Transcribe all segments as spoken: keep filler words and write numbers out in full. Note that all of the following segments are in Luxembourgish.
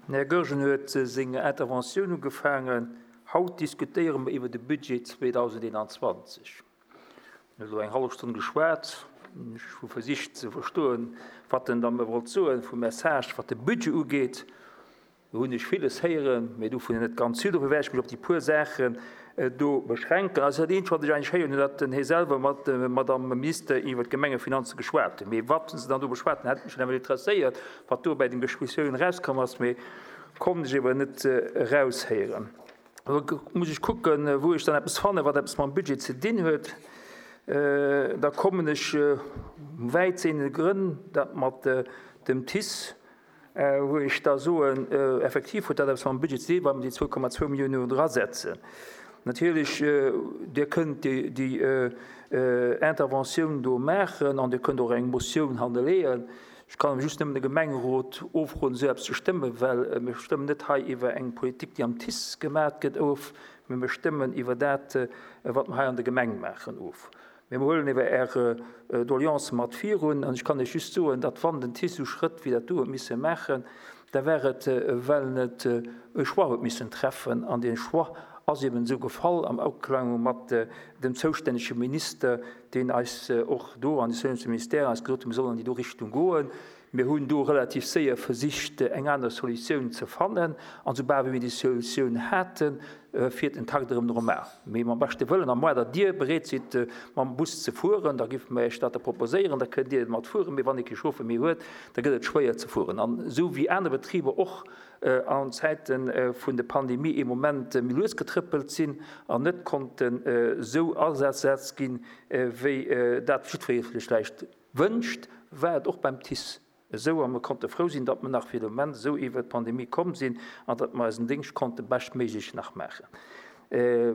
Den Här Goergen huet seng Interventioun ugefaangen, Haut diskutéiere mer iwwer de Budget zweedausendeenanzwanzeg. En huet elo eng hallef Stonn geschwat. Ech hu versicht ze verstoen, wat en da mer wollt soen vum Message, wat de Budget ugeet. Do hunn ech villes héieren, mee dovun net ganz vill. Dofir wäert ech mech op déi puer Saachen do beschränken. Also dat eenzegt, wat ech eigentlech héieren hunn, datt den Här selwer mat der Madame Minister iwwer d'Gemengefinanze geschwat huet. Mee wat se dann do beschwat hunn, hätt mech nawell interesséiert, wat do bei den Diskussiounen erauskomm ass, mee konnt ech ewer net eraushéieren. Elo muss ech kucken, wou ech dann eppes fannen, wat eppes mam Budget ze dinn huet. Da kommen ech wäit sehende Grënn, dat mat dem T I C E, wou ech da soen, effektiv huet dat eppes mam Budget ze dinn, wa mer déi zwou Komma zwou Milliounen do drasetzen. Natierlech, Dir kënnt déi Interventioun do maachen an Dir kënnt och eng Motioun hannerleeën. Ech kann awer just nëmmen de Gemengerot ofroden, esou eppes ze stëmmen, well mir stëmmen net hei iwwer eng Politik, déi am T I C E gemaach gëtt, of, mee mir stëmmen iwwer dat, wat mer hei an der Gemeng maachen, of. Mee mir huelen ewer Är Doleancë mat virun. An ech kann Iech just soen, datt wann den T I C E sou Schrëtt wéi dat do huet misse maachen, da war et, well en et e Choix huet missen treffen. An dee Choix ass eben esou gefall am Aklang mat dem zoustännege Minister, deen eis och do an de zoustännege Ministère eis gesot huet, mir sollen an déi do Richtung goen. Mir hunn do relativ séier versicht, eng aner Solutioun ze fannen. An soubal wéi mir déi Solutioun haten, fiert den Takt erëm normal. Mee mam beschte Wëllen, à moins datt Dir bereet sidd, mam Bus ze fueren, da géife mer Iech dat da proposéieren, da kënnt Dir mat fueren. Mee wann ee kee Chauffer méi huet, da gëtt et schwéier ze fueren. An esou wéi aner Betriber och an Zäite vun der Pandemie ee Moment méi lues getrëppelt sinn an net konnten esou agesat ginn, wéi dat jiddweree sech vläicht wënscht, war et och beim T I C E esou. A mir konnte frou sinn, datt mer nach fir de Moment esou iwwer d'Pandemie komm sinn an datt mer eisen Déngscht konnte beschtméiglech nach maachen.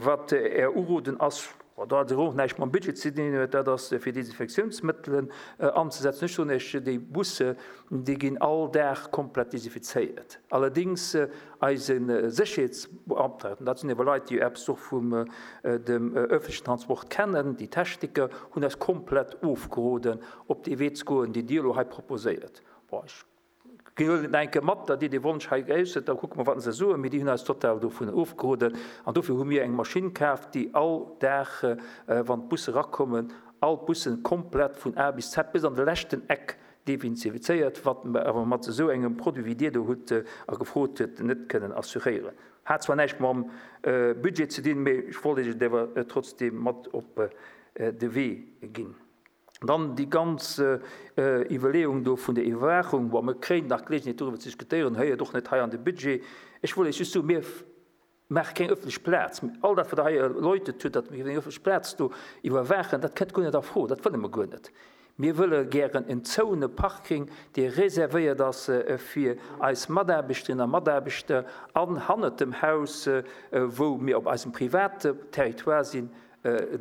Wat Är Uroden ass, wat dat och näischt mam Budget ze dinn huet, dat ass fir Desinfektiounsmëttelen anzesetzen. Ech soen Iech, déi Busse, déi ginn all Dag komplett desinfizéiert. Allerdéngs eise Sécherheetsbeamten, dat sinn ewer Leit, déi eppes och vum dem öffentlichen Transport kennen, déi Techniker, hunn eis komplett ofgeroden, op dee Wee ze goen, deen Dir elo hei proposéiert. Bon, ech huelen et enke mat, datt Dir dee Wonsch hei geäussert, da kucke mer, wat se soen, mee déi hunn eis total dovun ofgeroden. An dofir hu mir eng Maschinn kaf, déi all Dag, wann d'Busse erakommen, all d'Bussen komplett vun A bis Z bis an de leschten Eck desinfizéiert, wat mer awer mat esou engem Produit, wéi Dir do hutt a gefrot hutt, net kënnen assuréieren. Hat zwar näischt mam Budget ze dinn, mee ech wollt Iech et awer trotzdem mat op de Wee ginn. Dann déi ganz Iwwerleeung do vun der Iwwerwaachung, bon, mir kréien nach d'Geleegenheet doriwwer ze diskutéieren, héiert och net hei an de Budget. Ech wollt Iech just soen, mir maache keng ëffentlech Plaz. All dat, wat Der hei erläutert hutt, datt mir eng ëffentlech Plaz do iwwerwaachen, dat kënnt guer net a Fro, dat wëlle mer guer net. Mir wëlle gären en zoune Parking, dee reservéiert ass fir eis Mataarbechterinnen a Mataarbechter an hannert dem Haus, wou mir op eisem private Territoire sinn,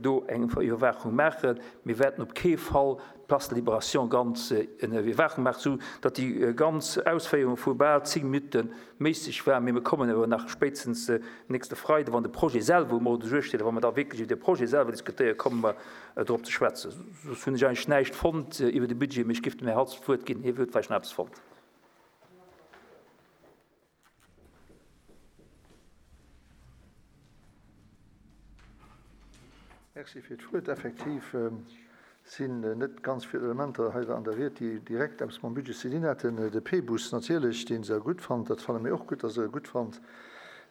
do eng Iwwerwaachung maachen. Mir wäerten op kee Fall d'Place de Libération ganz ënner Iwwerwaachung maachen, sou datt déi ganz Ausféierung vu bal zéng Minutte méisseg war. Mee mir kommen awer nach spéitstens nächste Freide, wann de Projet selwer um Ordre du jour steet, a wa mer da wierklech iwwer de Projet selwer diskutéieren, komme mer drop ze schwätzen. Soss hunn ech eigentlech näischt fonnt iwwer de Budget, mee ech géif dem Här Halsdorf d'Wuert ginn, hie huet vläicht nach eppes fonnt. Merci fir d'Wuert. Effektiv sinn net ganz vill Elementer hei an der Ried, déi direkt eppes mam Budget ze dinn hätten. De P-Bus natierlech, deen se gutt fannt, dat fanne mir och gutt, dass Der e gutt fannt.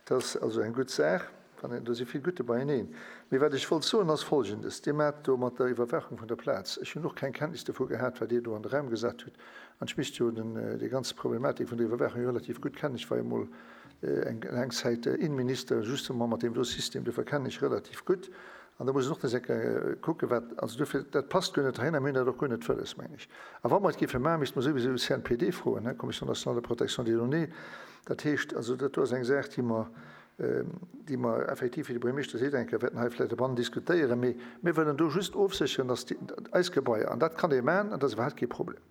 Dat ass also eng gutt Saach. Do si vill Gutte beieneen. Mee wat ech wollt soen, ass Folgendes. Dir maacht do mat der Iwwerwaachung vun der Plaz, ech hunn och keng Kenntnis dovu gehat, wat Dir do an de Raum gesat hutt. An ech misst jo déi ganz Problematik vun der Iwwerwaachung jo relativ gutt kennen. Ech war jo emol eng laang Zäit Innenminister, justement mat deem do System, dofir kennen ech relativ gutt. An da muss een och nach eng Kéier kucken, wat, also dofir, dat passt guer net heihin a mir hunn dat och guer net wëlles, meng ech. A wa mer et géife maachen, misste mer souwisou C N P D froen, hein, Commission nationale de protection des données. Dat heescht also, dat do ass eng Saach, déi mer, déi mer effektiv, wéi de Buergermeeschter seet, eng Kéier wäerten hei vläicht e bann diskutéieren. Mee mir wëllen do just ofsécheren, dass déi, eis Gebaier, an dat kann ee maachen, an dat ass iwwerhaapt kee Problem.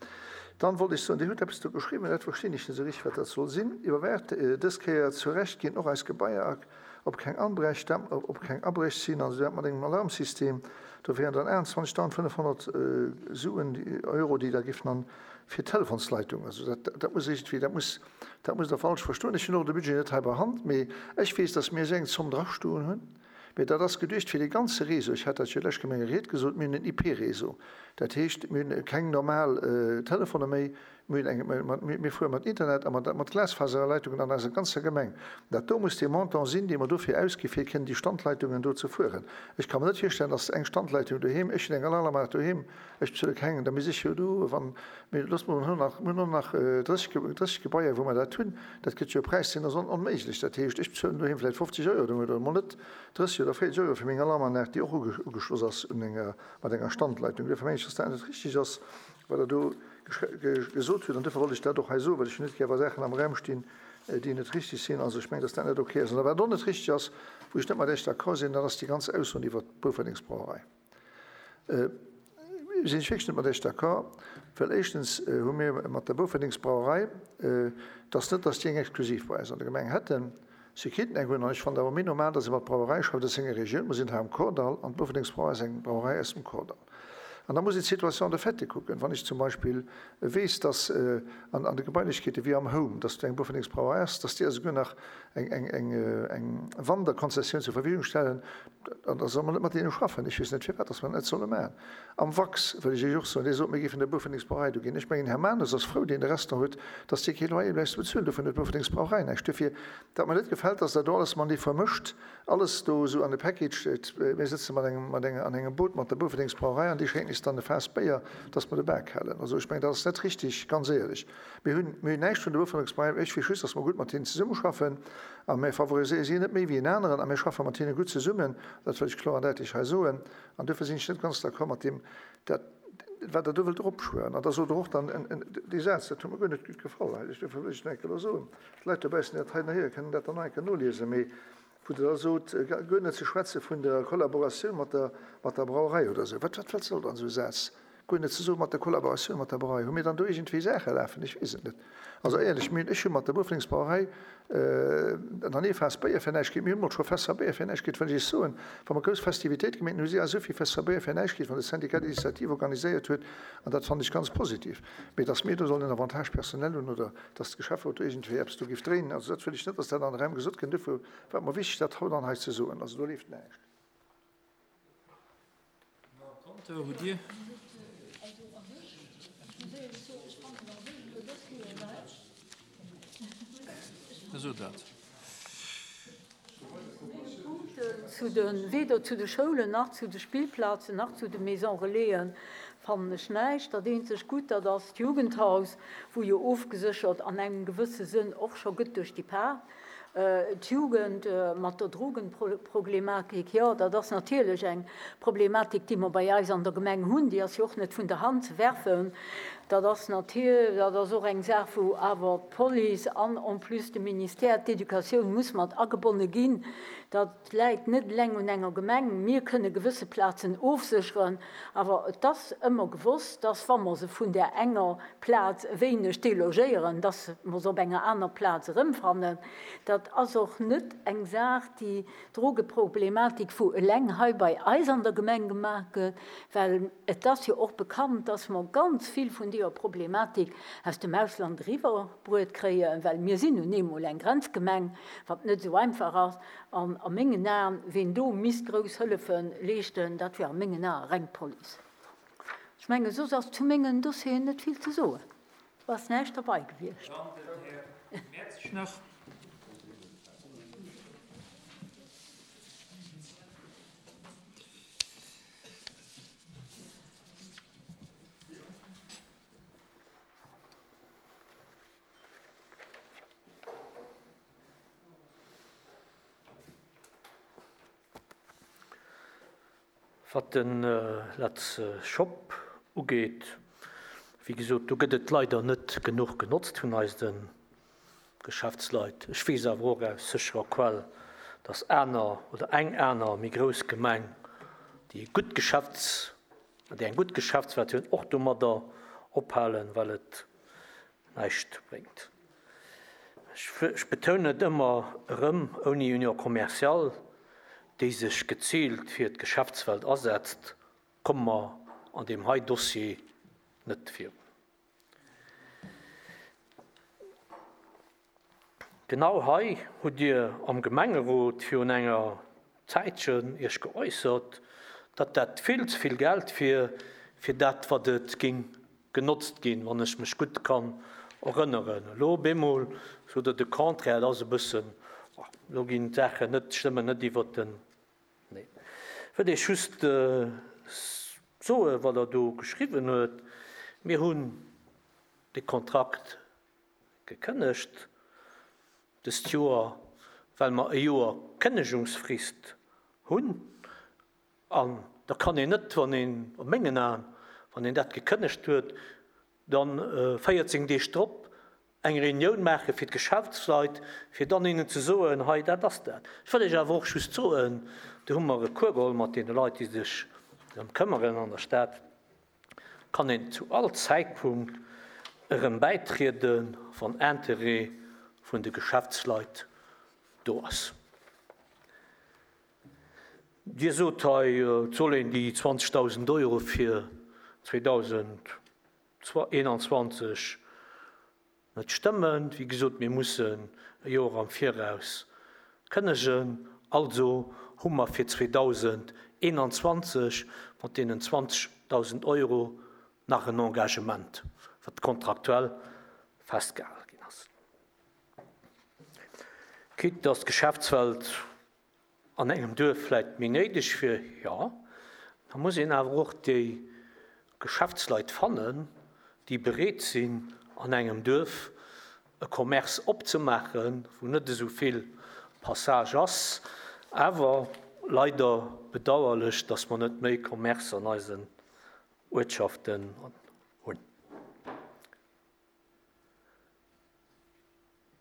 Dann wollt ech soen, Dir hutt eppes do geschriwwen, dat verstinn ech net esou richteg, wat dat soll sinn. Iwwerwaacht dës Kéier zu Recht ginn och eis Gebaier op keng Anbrech, op keng Abréch sinn, also dat mat engem Alarmsystem. Do wären dann aachtundzwanzegdausendfënnefhonnert Suen, Euro, déi da giffen an fir d'Telefonsleitung. Also dat, dat muss iergendwéi, dat muss, dat muss Der falsch verstoen. Ech hunn och de Budget net hei bei Hand, mee ech weess, dass mir esou eng Zomm drastoen hunn. Mee dat ass geduecht fir dee ganze Réseau. Ech hat dat jo lech Gemenge Ried gesot, mir hunn en I P-Réseau. Dat heescht, mir hunn keng normal Telefone méi, mir hunn eng, mir fuere mat Internet a mat, mat Glasfaserleitungen an eiser ganzer Gemeng. Dat do muss dee Montant sinn, dee mer dofir ausgi fir kënnen déi Standleitungen do ze fueren. Ech ka mer net virstellen, dass eng Standleitung doheem, ech hunn eng Alarmanlag doheem, ech bezuele keng, da misst ech jo do, wann, mee looss mer, mir hunn nach, mir hunn och nach drësseg, drësseg Gebaier, wou mer dat hunn, dat gëtt jo e Präis, deen ass onméiglech. Dat heescht, ech bezuelen doheem vläicht fofzeg Euro de Mount oder emol net drësseg oder véierzeg Euro fir meng Alarmanlag, déi och ugeschloss ass un enger, mat enger Standleitung. Duerfir mengen ech, dass dat net richtig ass, wat Der do gesot hutt. An duerfir wollt ech dat och hei soen, well ech hunn net gär, wa Saachen am Raum stinn, déi net richtig sinn. Also ech mengen, dass dat net okay ass. An wat och net richtig ass, wou ech net mat Iech d'accord sinn, dat ass déi ganz Ausso iwwert d'Boufferdingsbrauerei. Sinn ech wierklech net mat Iech d'accord, well éischtens hu mir mat der Boufferdingsbrauerei, dass net, dass déi eng exklusiv bei eis an der Gemeng hätten, si kéinten eng hunn, an ech fannen awer méi normal, dass ee mat Brauerei schafft aus senger Regioun. Mir sinn hei am Kordall an d'Boufferdingsbrauerei ass eng Brauerei aus dem Kordall. An da muss een d'Situation de fait kucken. Wann ech zum Beispill weess, dass an an de Gebailechkeete wéi am Home, dass do eng Boufferdingsbrauerei ass, dass déi esouguer nach eng eng eng eng Wanderkonzessioun zur Verfügung stellen, an da soll mer net mat deene schaffen. Ech weess net firwat, dass mer dat net solle maachen. Am Wax wëll ech Iech och soen, Dir sot, mir géifen der Boufferdingsbrauerei do ginn. Ech mengen, Här Manus ass frou, deen de Restaurant huet, dass dee kee Loyer bleift ze bezuelen. Dovun huet d'Boufferdingsbrauerei näischt. Duerfir, wat mer net gefält, dass Der do alles matenee vermëscht, alles do esou an e Package. Mir sëtze mat engem, mat enger, an engem Boot mat der Boufferdingsbrauerei an déi schénken eis dann e Faass Béier, dass mer de Bak halen. Also ech mengen, dat ass net richtig, ganz éierlech. Mir hunn, mir hunn näischt vun der Boufferdingsbrauerei. Ech weess just, dass mer gutt mat hinnen zesummeschaffen a mir favoriséiere si net méi wéi en aneren a mir schaffe mat hinne gutt zesummen. Dat wëll ech kloer an däitlech hei soen. An duerfir sinn ech net ganz d'accord mat deem, dat, wat Der do wëllt eropschwören. An da sot Der och dann en, en, dee Saz, dat huet mer guer net gutt gefall, duerfir wëll ech et nach eng Kéier elo soen. D'Leit dobaussen, déi dat hei nach héieren, kënnen dat dann nach eng Kéier noliesen, mee wou Der da sot, guer net ze schwätze vun der Kollaboratioun mat der, mat der Brauerei oder esou. Wat, wat, wat soll dann esou e Saz? Guer net ze soe mat der Kollaboratioun mat der Brauerei. Hu mir dann do iergendwéi Saache lafen? Ech weess et net. Also éierlech, mir, ech hu mat der Boufferdingsbrauerei nach ni e Faass Béier fir näischt kritt. Mir hunn emol scho Fässer Béier fir näischt kritt, wëll ech Iech soen, wa mer grouss Festivitéite gemeet hunn, hu si eis esou vill Fässer Béier fir näischt kritt, wann de Syndicat d'initiative organiséiert huet, an dat fannen ech ganz positiv. Mee dass mir do sollen en Avantage personnel hunn oder dass de Geschäfferot do iergendwéi eppes do géif dréinen, also dat wëll ech net, dass dat an de Raum gesot gëtt. Duerfir war et mer wichteg, dat haut dann hei ze soen. Also do leeft näischt. Compteur hutt Dir? Esou dat. Zu de, weder zu de Schoulen nach zu de Spillplazen nach zu de Maison Relaisen fannen ech näischt. Dat eenzeg Gutt, dat ass d'Jugendhaus, wou jo ofgeséchert an engem gewësse Sënn och scho gëtt duerch déi Par. D'Jugend mat der Drogenproblematik, jo, dat ass natierlech eng Problematik, déi mer bei eis an der Gemeng hunn, déi ass jo och net vun der Hand ze werfen. Dat ass natierlech, dat ass och eng Saach, wou awer d'Police an en plus de Ministère d'Éducatioun muss mat agebonne ginn. Dat läit net eleng un enger Gemeng. Mir kënne gewësse Plazen ofsécheren, awer et ass ëmmer gewosst, dass, wa mer se vun där enger Plaz e wéineg delogéieren, dass mer se op enger aner Plaz erëmfannen. Dat ass och net eng Saach, déi Drogeproblematik, wou eleng hei bei eis an der Gemeng gemaach gëtt, well et ass jo och bekannt, dass mer ganz vill vun deeër Problematik aus dem Ausland eriwwerbruet kréien, well mir sinn nun eemol eng Grenzgemeng, wat net esou einfach ass. An a mengen Aen, ween do misst grouss Hëllefe leeschten, dat wär a mengen Ae reng d'Police. Ech mengen, soss ass zu mengen Dossieren net vill ze soen. Do ass näischt derbei gewiescht. Dann den Här Mertzig nach. Wat de Let's Shop ugeet, wéi gesot, do gëtt et leider net genuch genotzt vun eise Geschäftsleit. Ech weess awer och aus sécherer Quell, dass aner oder eng aner méi grouss Gemeng, déi gutt Geschäfts-, déi eng gutt Geschäftswelt hunn, och domadder ophalen, well et näischt bréngt. Ech betounen et ëmmer erëm, ouni Union commerciale, déi sech geziilt fir d'Geschäftswelt asetzt, komme mer an deem hei Dossier net virun. Genau hei hutt Dir am Gemengerot virun enger Zäitchen Iech geäussert, datt dat vill ze vill Geld wier fir dat, wat et géing genotzt ginn, wann ech mech gutt kann erënneren. Elo op eemol sot Der de Contraire, dat ass e bëssen, elo ginn d'Saachen net, stëmmen net iwwerteneen. Wëll ech just soen, wat Der do geschriwwen huet. Mir hunn de Kontrakt gekënnegt dëst Joer, well mer e Joer Kënnegungsfrist hunn. An da kann een net, wann een, a mengen Aen, wann een dat gekënnegt huet, dann véierzéng Deeg drop eng Reunioun maache fir d'Geschäftsleit, fir dann hinnen ze soen, hei, dat ass dat. Ech wëll Iech awer och just soen, do hu mer Recours geholl mat deene Leit, déi sech drëm këmmeren an der Stad, kann een zu all Zäitpunkt erëm bäitrieden, wann Interêt vun de Geschäftsleit do ass. Dir sot hei, et soll een déi zwanzegdausend Euro fir zweedausendeenanzwanzeg net stëmmen. Wéi gesot, mir mussen e Joer am Viraus kënnegen. Also hu mer fir zweedausendeenanzwanzeg mat deenen zwanzegdausend Euro nach en Engagement, wat kontraktuell festgehale ginn ass. Quitte dass d'Geschäftswelt an engem Duerf vläicht méi néideg wier, jo, da muss een awer och déi Geschäftsleit fannen, déi bereet sinn, an engem Duerf e Commerce opzemaachen, wou net esou vill Passage ass. Awer leider bedauerlech, dass mer net méi Commerce an eisen Uertschaften hunn.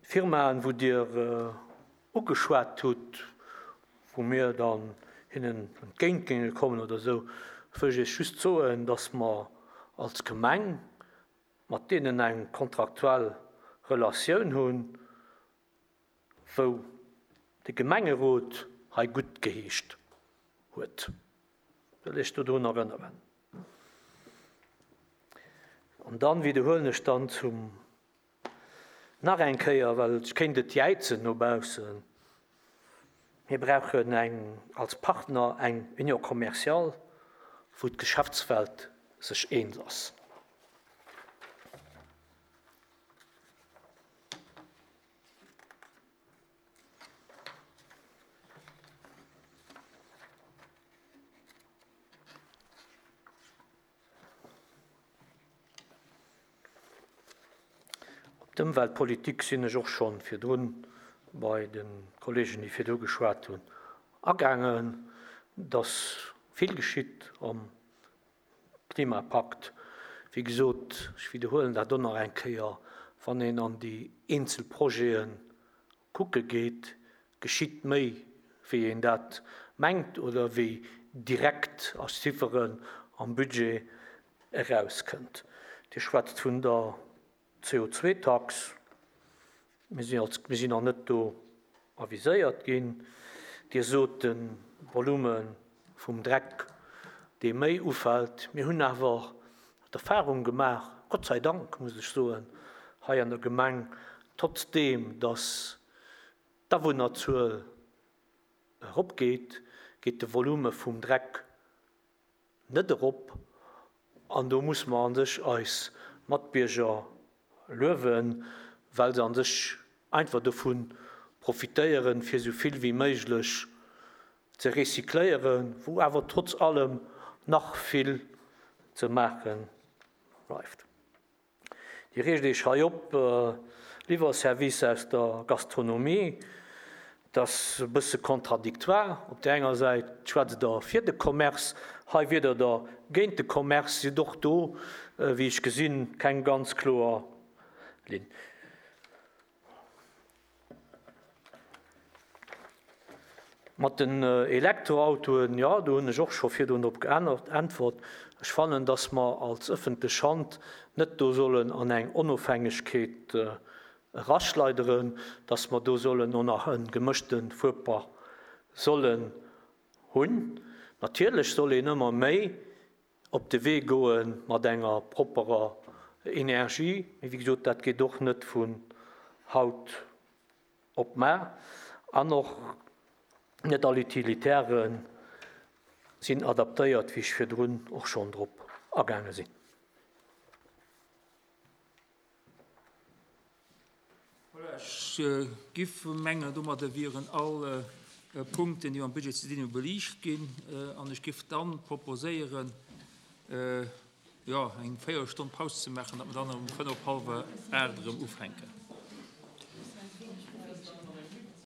Firmaen, wou Dir ugeschwat hutt, wou mir dann hinnen entgéint géinge kommen oder esou, wëll ech Iech just soen, dass mer als Gemeng mat deenen eng kontraktuell Relatioun hunn, wou de Gemengerot hei gutt geheescht huet. Wëll ech dodrun erënneren. An dann widderhuelen ech dann zum nach eng Kéier, well ech kéint et jäizen no baussen, mir brauchen eng, als Partner eng Union commerciale, wou d'Geschäftswelt sech eens ass. Op d'Ëmweltpolitik sinn ech och schonn virdrun bei de Kollegen, déi virdru geschwat hunn, agaangen, dass vill geschitt am Klimapakt. Wéi gesot, ech widderhuelen dat och nach eng Kéier, wann een an déi eenzel Projete kucke geet, geschitt méi, wéi een dat mengt oder wéi direkt a Chifferen am Budget erauskënnt. Dir schwätzt vun der C O zwei Tax. Mir sinn als, mir sinn nach net do aviséiert ginn. Dir sot de Volume vum Dreck, dee méi ufält. Mir hunn awer d'Erfahrung gemaach, Gott sei Dank, muss ech soen, hei an der Gemeng, trotzdem, dass d'Awunnerzuel eropgeet, geet de Volume vum Dreck net erop. An do muss man an sech eis Matbierger luewen, well se an sech einfach dovun profitéieren, fir so vill wie méiglech ze recycléieren, wou awer trotz allem nach vill ze maache bleift. Dir reegt Iech hei op, äh, Liwwerservice aus der Gastronomie, das ass e bësse contradictoire. Op der enger Säit schwätzt der fir de Commerce, hei wier der da géint de Commerce, sidd och do, äh, wéi ech gesinn, keng ganz kloer Linn. Mat den, äh, Elektroautoen, ja, do hunn ech och scho virdrun drop geäntwert. Ech fannen, dass mer als ëffentlech Hand net do sollen an eng Onofhängegkeet, äh, eraschleideren, dass mer do sollen och nach en gemëschten Fuerpark sollen hunn. Natierlech soll een ëmmer méi op de Wee goen mat enger properer Energie. Mee wéi gesot, dat geet och net vun haut op Mar an och net all Utilitairen sinn adaptéiert, wéi ech virdrun och schonn drop agaange sinn. Voilà, ech giff mengen, domadder wieren all Punkten, déi mam Budget ze dinn hunn, beliicht ginn. An ech giff dann proposéieren, jo, eng Véierelstonn Paus ze maachen, datt mer dann um fënnef op hallwer aacht erëm ufänken.